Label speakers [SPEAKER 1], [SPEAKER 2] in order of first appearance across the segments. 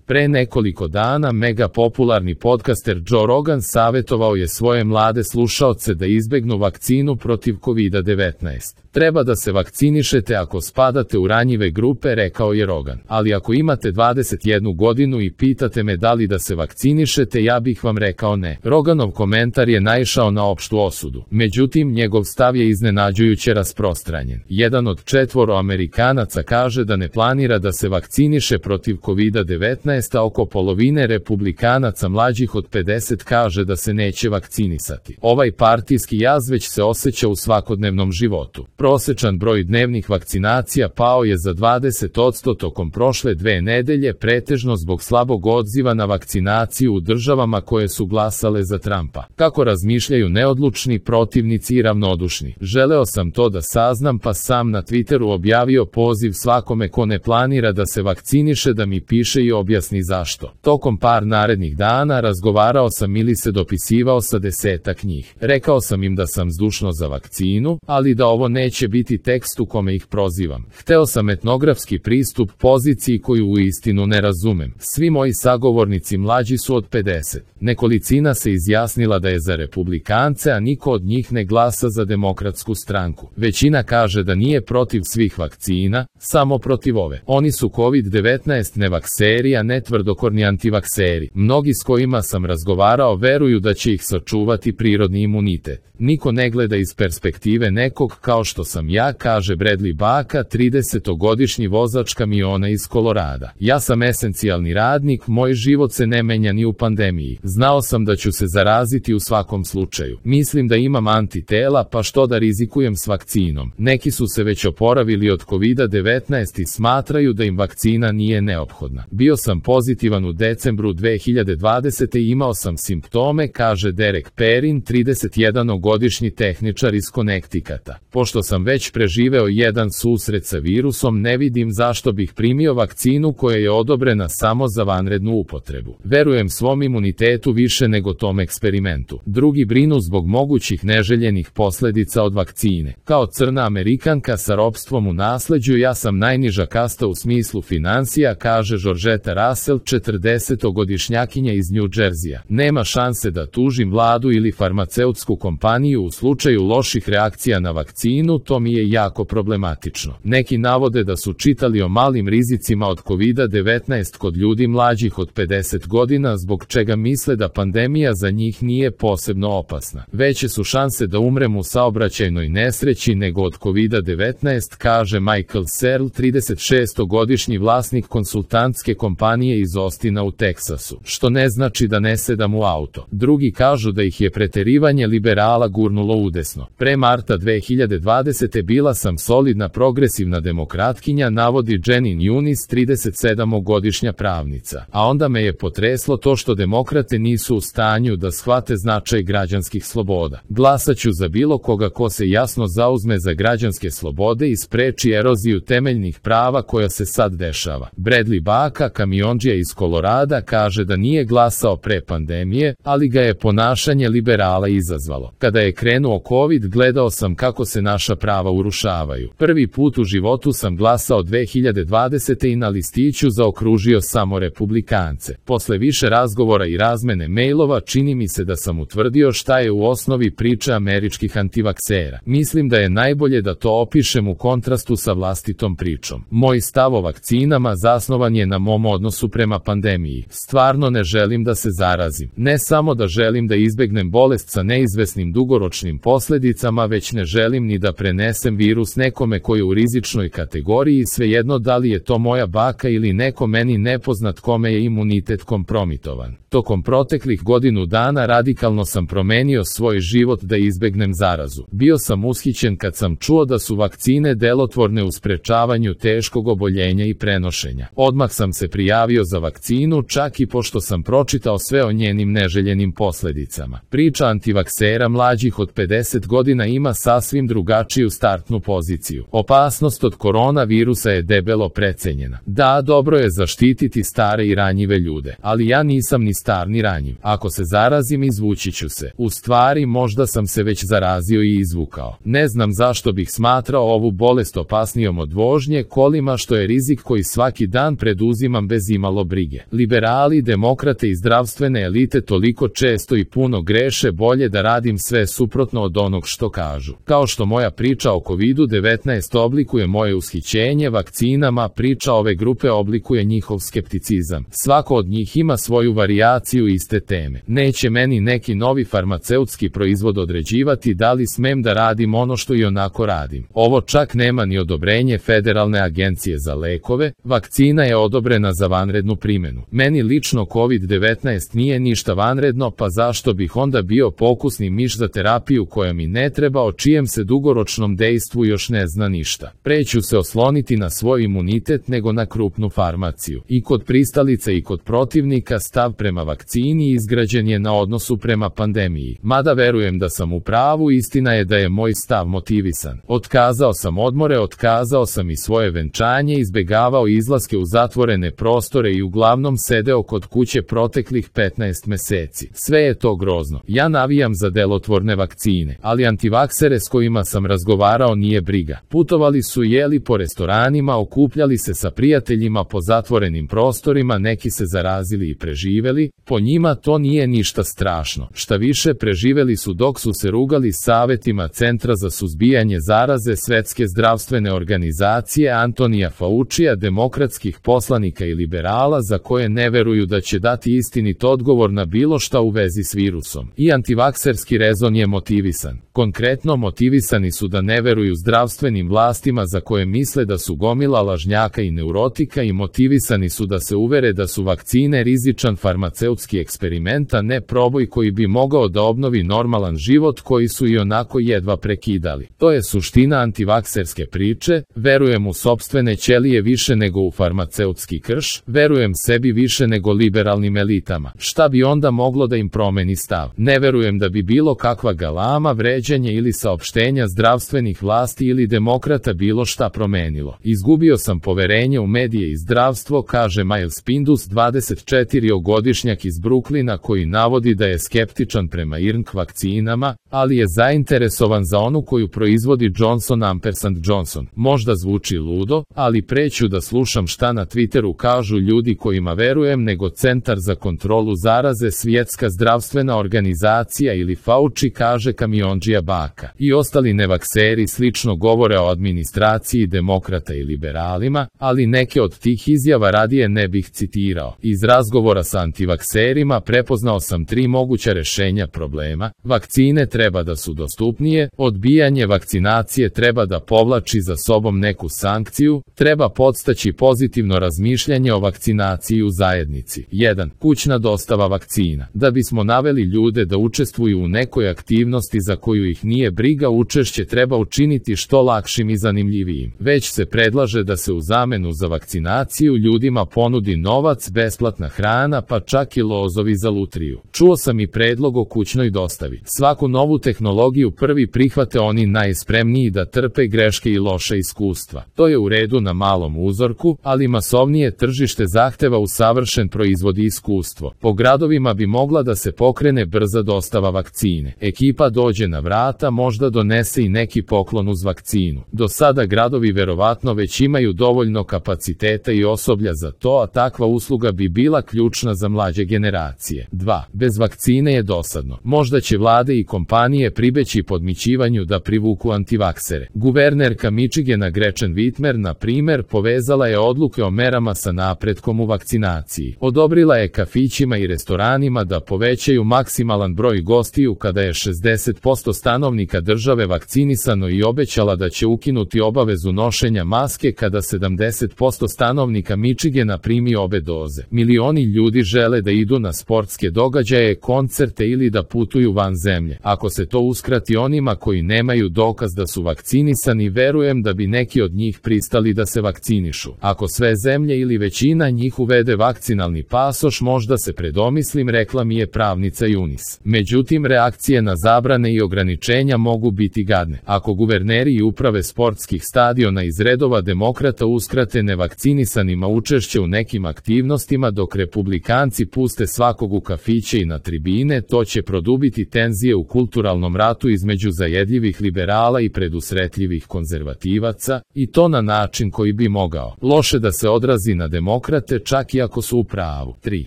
[SPEAKER 1] Pre nekoliko dana mega popularni podcaster Joe Rogan savjetovao je svoje mlade slušaoce da izbegnu vakcinu protiv COVID-19. Treba da se vakcinišete ako spadate u ranjive grupe, rekao je Rogan. Ali ako imate 21 godinu i pitate me da li da se vakcinišete, ja bih vam rekao ne. Roganov komentar je naišao na opštu osudu. Međutim, njegov stav je iznenađujuće rasprostranjen. Jedan od 4 Amerikanaca kaže da ne planira da se vakciniše protiv COVID-19, a oko polovine republikanaca mlađih od 50 kaže da se neće vakcinisati. Ovaj partijski jaz već se osjeća u svakodnevnom životu. Prosečan broj dnevnih vakcinacija pao je za 20% tokom prošle 2 nedelje, pretežno zbog slabog odziva na vakcinaciju u državama koje su glasale za Trumpa. Kako razmišljaju neodlučni protivnici i ravnodušni? Želeo sam to da saznam, pa sam na Twitteru objavio poziv svakome ko ne planira da se vakciniše da mi piše i objasni zašto. Tokom par narednih dana razgovarao sam ili se dopisivao sa 10-ak njih. Rekao sam im da sam zdušno za vakcinu, ali da ovo neće biti tekst u kome ih prozivam. Hteo sam etnografski pristup poziciji koju uistinu ne razumem. Svi moji sagovornici mlađi su od 50. Nekolicina se izjasnila da je za republikance, a niko od njih ne glasa za Demokratsku stranku. Većina kaže da nije protiv svih vakcina, samo protiv ove. Oni su COVID-19 nevakseri, a ne tvrdokorni antivakseri. Mnogi s kojima sam razgovarao veruju da će ih sačuvati prirodni imunitet. Niko ne gleda iz perspektive nekog kao što sam ja, kaže Bradley Baka, 30-godišnji vozač kamiona iz Kolorada. Ja sam esencijalni radnik, moj život se ne menja ni u pandemiji. Znao sam da ću se zaraziti u svakom slučaju. Mislim da imam antitela, pa što da rizikujem s vakcinom. Neki su se već oporavili od COVID-19 i smatraju da im vakcina nije neophodna. Bio sam pozitivan u decembru 2020. i imao sam simptome, kaže Derek Perrin, 31-godišnji tehničar iz Connecticuta. Pošto sam već preživeo jedan susret sa virusom, ne vidim zašto bih primio vakcinu koja je odobrena samo za vanrednu upotrebu. Verujem svom imunitetu više nego tom eksperimentu. Drugi brinu zbog mogućih neželjenih posledica od vakcine. Kao crna Amerikanka sa ropstvom u nasleđu, ja sam najniža kasta u smislu finansija, kaže Georgetta Russell, 40-godišnjakinja iz New Jersey-a. Nema šanse da tužim vladu ili farmaceutsku kompaniju u slučaju loših reakcija na vakcinu, to mi je jako problematično. Neki navode da su čitali o malim rizicima od COVID-19 kod ljudi mlađih od 50 godina, zbog čega misle da pandemija za njih nije posebno opasna. Veće su šanse da umrem u saobraćajnoj nesreći nego od COVID-19, kaže Michael Searle, 36-godišnji vlasnik konsultantske kompanije iz Austina u Teksasu. Što ne znači da ne sedam u auto. Drugi kažu da ih je preterivanje liberala gurnulo udesno. Pre marta 2020. bila sam solidna progresivna demokratkinja, navodi Jenin Yunis, 37-godišnja pravnica. A onda me je potreslo to što demokrate nisu u stanju da shvate značaj građanskih sloboda. Glasaću za bilo koga ko se jasno zauzme za građanske slobode i spreči eroziju temeljnih prava koja se sad dešava. Bradley Baka, kamiondžija iz Kolorada, kaže da nije glasao pre pandemije, ali ga je ponašanje liberala izazvalo. Kada je krenuo COVID, gledao sam kako se naša prava urušavaju. Prvi put u životu sam glasao 2020. i na listiću zaokružio samo republikance. Posle više razgovora i razmene mailova čini mi se da sam utvrdio šta je u osnovi priča američkih antivaksera. Mislim da je najbolje da to opišem u kontrastu sa vlastitom pričom. Moj stav o vakcinama zasnovan je na mom odnosu prema pandemiji. Stvarno ne želim da se zarazim. Ne samo da želim da izbegnem bolest sa neizvesnim dugoročnim posledicama, već ne želim ni da prenesem virus nekome koji je u rizičnoj kategoriji, svejedno da li je to moja baka ili neko meni nepoznat kome je imunitet kompromitovan. Tokom proteklih godinu dana radikalno sam promenio svoj život da izbegnem zarazu. Bio sam ushićen kad sam čuo da su vakcine delotvorne u sprečavanju teškog oboljenja i prenošenja. Odmah sam se prijavio za vakcinu, čak i pošto sam pročitao sve o njenim neželjenim posledicama. Priča antivaksera mlađih od 50 godina ima sasvim drugačiju startnu poziciju. Opasnost od koronavirusa je debelo precenjena. Da, dobro je zaštititi stare i ranjive ljude, ali ja nisam ni star ni ranjiv. Ako se zarazim, izvući ću se. U stvari, možda sam se već zarazio i izvukao. Ne znam zašto bih smatrao ovu bolest opasnijom od vožnje kolima, što je rizik koji svaki dan preduzimam bez imalo brige. Liberali, demokrate i zdravstvene elite toliko često i puno greše, bolje da radim sve suprotno od onog što kažu. Kao što moja priča o COVID-19 oblikuje moje ushićenje vakcinama, priča ove grupe oblikuje njihov skepticizam. Svako od njih ima svoju varijaciju iste teme. Neće meni neki novi farmaceutski proizvod određivati da li smem da radim ono što i onako radim. Ovo čak nema ni odobrenje Federalne agencije za lekove, vakcina je odobrena za vanrednu primjenu. Meni lično COVID-19 nije ništa vanredno, pa zašto bih onda bio pokusni miš za terapiju koja mi ne treba, o čijem se dugoročnom dejstvu još ne zna ništa. Preću se osloniti na svoj imunitet nego na krupnu farmaciju. I kod pristalica i kod protivnika stav prema vakcini izgrađen je na odnosu prema pandemiji. Mada verujem da sam u pravu, istina je da je moj stav motivisan. Otkazao sam odmore, otkazao sam i svoje venčanje, izbegavao izlaske u zatvorene prostore i uglavnom sedeo kod kuće proteklih 15 meseci. Sve je to grozno. Ja navijam za delotvorne vakcine, ali antivaksere s kojima sam razgovarao nije briga. Putovali su, jeli po restoranima, okupljali se sa prijateljima po zatvorenim prostorima, neki se zarazili i preživeli, po njima to nije ništa strašno. Šta više, preživeli su dok su se rugali savetima Centra za suzbijanje zaraze Svetske zdravstvene organizacije, Antonija Faucija, demokratskih poslanika i liberala za koje ne veruju da će dati istinit odgovor na bilo šta u vezi s virusom. I antivakserski rezon je motivisan. Konkretno motivisani su da ne veruju zdravstvenim vlastima za koje misle da su gomila lažnjaka i neurotika, i motivisani su da se uvere da su vakcine rizičan farmaceutski eksperiment, a ne proboj koji bi mogao da obnovi normalan život koji su i onako jedva prekidali. To je suština antivakserske priče. Verujem u sopstvene ćelije više nego u farmaceutski krš, verujem sebi više nego liberalnim elitama. Šta bi onda moglo da im promeni stav? Ne verujem da bi bilo kakva galama, vređanje ili saopštenja zdravstvenih vlasti ili demokrata bilo šta promenilo. Izgubio sam poverenje u medije i zdravstvo, kaže Miles Pindus, 24-godišnjak iz Brooklyna koji navodi da je skeptičan prema IRNK vakcinama, ali je zainteresovan za onu koju proizvodi Johnson. Možda zvuči ludo, ali preću da slušam šta na Twitteru kažu ljudi kojima verujem nego Centar za kontrolu zaraze, Svjetska zdravstvena organizacija ili Fauci, kaže kamiondžija Baka. I ostali nevakseri slično govore o administraciji demokrata i liberalima, ali neke od tih izjava radije ne bih citirao. Iz razgovora sa antivakserima prepoznao sam 3 moguća rešenja problema. Vakcine treba da su dostupnije, odbijanje vakcinacije treba da povlači za sobom neku sankciju, treba podstaći pozitivno razmišljanje o vakcinaciji u zajednici. 1. Kućna dostava vakcina. Da bismo naveli ljude da učestvuju u nekoj aktivnosti za koju ih nije briga, učešće treba učiniti što lakšim i zanimljivijim. Već se predlaže da se u zamenu za vakcinaciju ljudima ponudi novac, besplatna hrana, pa čak i lozovi za lutriju. Čuo sam i predlog o kućnoj dostavi. Svaku novu tehnologiju prvi prihvate oni najspremniji da trpe greške i loša iskustva. To je u redu na malom uzorku, ali masovnije tržište zahteva usavršen proizvod i iskustvo. Po gradovima bi mogla da se pokrene brza dostava vakcine. Ekipa dođe na vrata, možda donese i neki poklon uz vakcinu. Do sada gradovi verovatno već imaju dovoljno kapaciteta i osoblja za to, a takva usluga bi bila ključna za mlađe generacije. 2. Bez vakcine je dosadno. Možda će vlade i kompanije pribeći podmićivanju da privuku antivaksere. Guvernerka Michigana Gretchen Whitmer, na primer, povezala je odluke o merama sa napretkom u vakcinaciji. Odobrila je kafićima i restoranima da povećaju maksimalan broj gostiju kada je 60% stanovnika države vakcinisano i obećala da će ukinuti obavezu nošenja maske kada 70% stanovnika Michigana primi obe doze. Milioni ljudi žele da idu na sportske događaje, koncerte ili da putuju van zemlje. Ako se to uskrati onima koji nemaju dokaz da su vakcinisani, verujem da bi neki od njih pristali da se vakcinišu. Ako sve zemlje ili većina njih uvede vakcinalni pasoš, možda se predomislim, rekla mi je pravnica Junis. Međutim, reakcije na zabrane i ograničenja mogu biti gadne. Ako guverneri i uprave sportskih stadiona iz redova demokrata uskrate nevakcinisanima učešće u nekim aktivnostima dok republikanci puste svakog u kafiće i na tribine, to će produbiti tenzije u kulturalnom ratu između zajedljivih liberala i predusretljivih konzervativaca, i to na način koji bi mogao loše da se odrazi na demokrate demokrate čak i ako su u pravu. 3.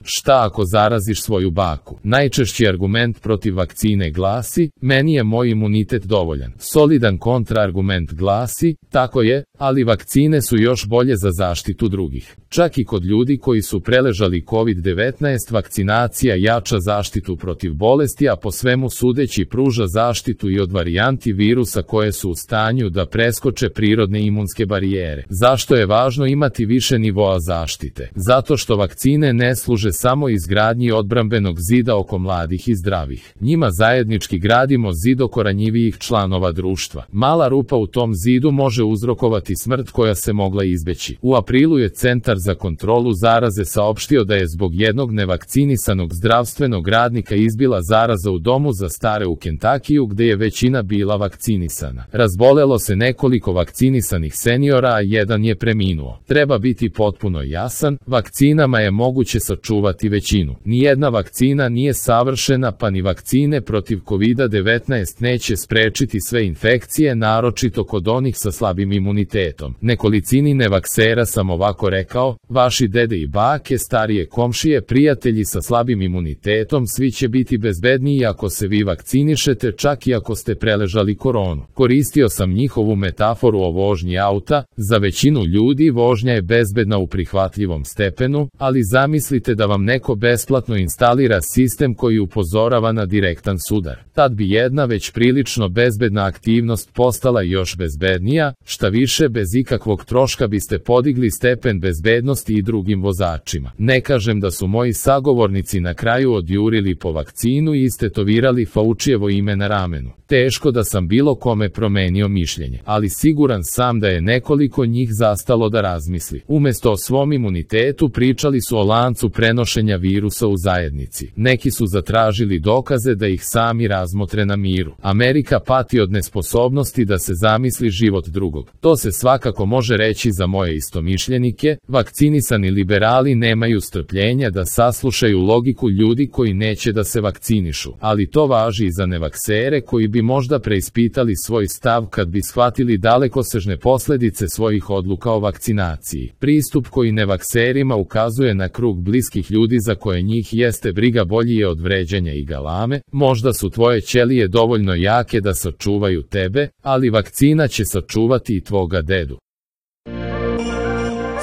[SPEAKER 1] Šta ako zaraziš svoju baku? Najčešći argument protiv vakcine glasi, meni je moj imunitet dovoljan. Solidan kontraargument glasi, tako je, ali vakcine su još bolje za zaštitu drugih. Čak i kod ljudi koji su preležali COVID-19, vakcinacija jača zaštitu protiv bolesti, a po svemu sudeći pruža zaštitu i od varijanti virusa koje su u stanju da preskoče prirodne imunske barijere. Zašto je važno imati više nivoa zaštite? Zato što vakcine ne služe samo izgradnji odbrambenog zida oko mladih i zdravih. Njima zajednički gradimo zid oko ranjivijih članova društva. Mala rupa u tom zidu može uzrokovati smrt koja se mogla izbeći. U aprilu je Centar za kontrolu zaraze saopštio da je zbog jednog nevakcinisanog zdravstvenog radnika izbila zaraza u domu za stare u Kentakiju gde je većina bila vakcinisana. Razbolelo se nekoliko vakcinisanih seniora, a jedan je preminuo. Treba biti potpuno jasan, vakcinama je moguće sačuvati većinu. Nijedna vakcina nije savršena, pa ni vakcine protiv COVID-19 neće sprečiti sve infekcije, naročito kod onih sa slabim imunitetom. Nekolicini nevaksera sam ovako rekao, vaši dede i bake, starije komšije, prijatelji sa slabim imunitetom, svi će biti bezbedniji ako se vi vakcinišete, čak i ako ste preležali koronu. Koristio sam njihovu metaforu o vožnji auta, za većinu ljudi vožnja je bezbedna u prihvatljivom stepenu, ali zamislite da vam neko besplatno instalira sistem koji upozorava na direktan sudar. Tad bi jedna već prilično bezbedna aktivnost postala još bezbednija, šta više bez ikakvog troška biste podigli stepen bezbednosti i drugim vozačima. Ne kažem da su moji sagovornici na kraju odjurili po vakcinu i istetovirali Faucijevo ime na ramenu. Teško da sam bilo kome promenio mišljenje, ali siguran sam da je nekoliko njih zastalo da razmisli. Umesto o svom imunitetu pričali su o lancu prenošenja virusa u zajednici. Neki su zatražili dokaze da ih sami razmotre na miru. Amerika pati od nesposobnosti da se zamisli život drugog. To se svakako može reći za moje istomišljenike. Vakcinisani liberali nemaju strpljenja da saslušaju logiku ljudi koji neće da se vakcinišu, ali to važi i za nevaksere koji bi možda preispitali svoj stav kad bi shvatili dalekosežne posledice svojih odluka o vakcinaciji. Pristup koji nevakserima ukazuje na krug bliskih ljudi za koje njih jeste briga bolji je od vređanja i galame. Možda su tvoje ćelije dovoljno jake da sačuvaju tebe, ali vakcina će sačuvati i tvoga dedu.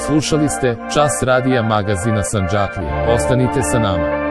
[SPEAKER 1] Slušali ste Čas radija magazina Sandžaklije. Ostanite sa nama.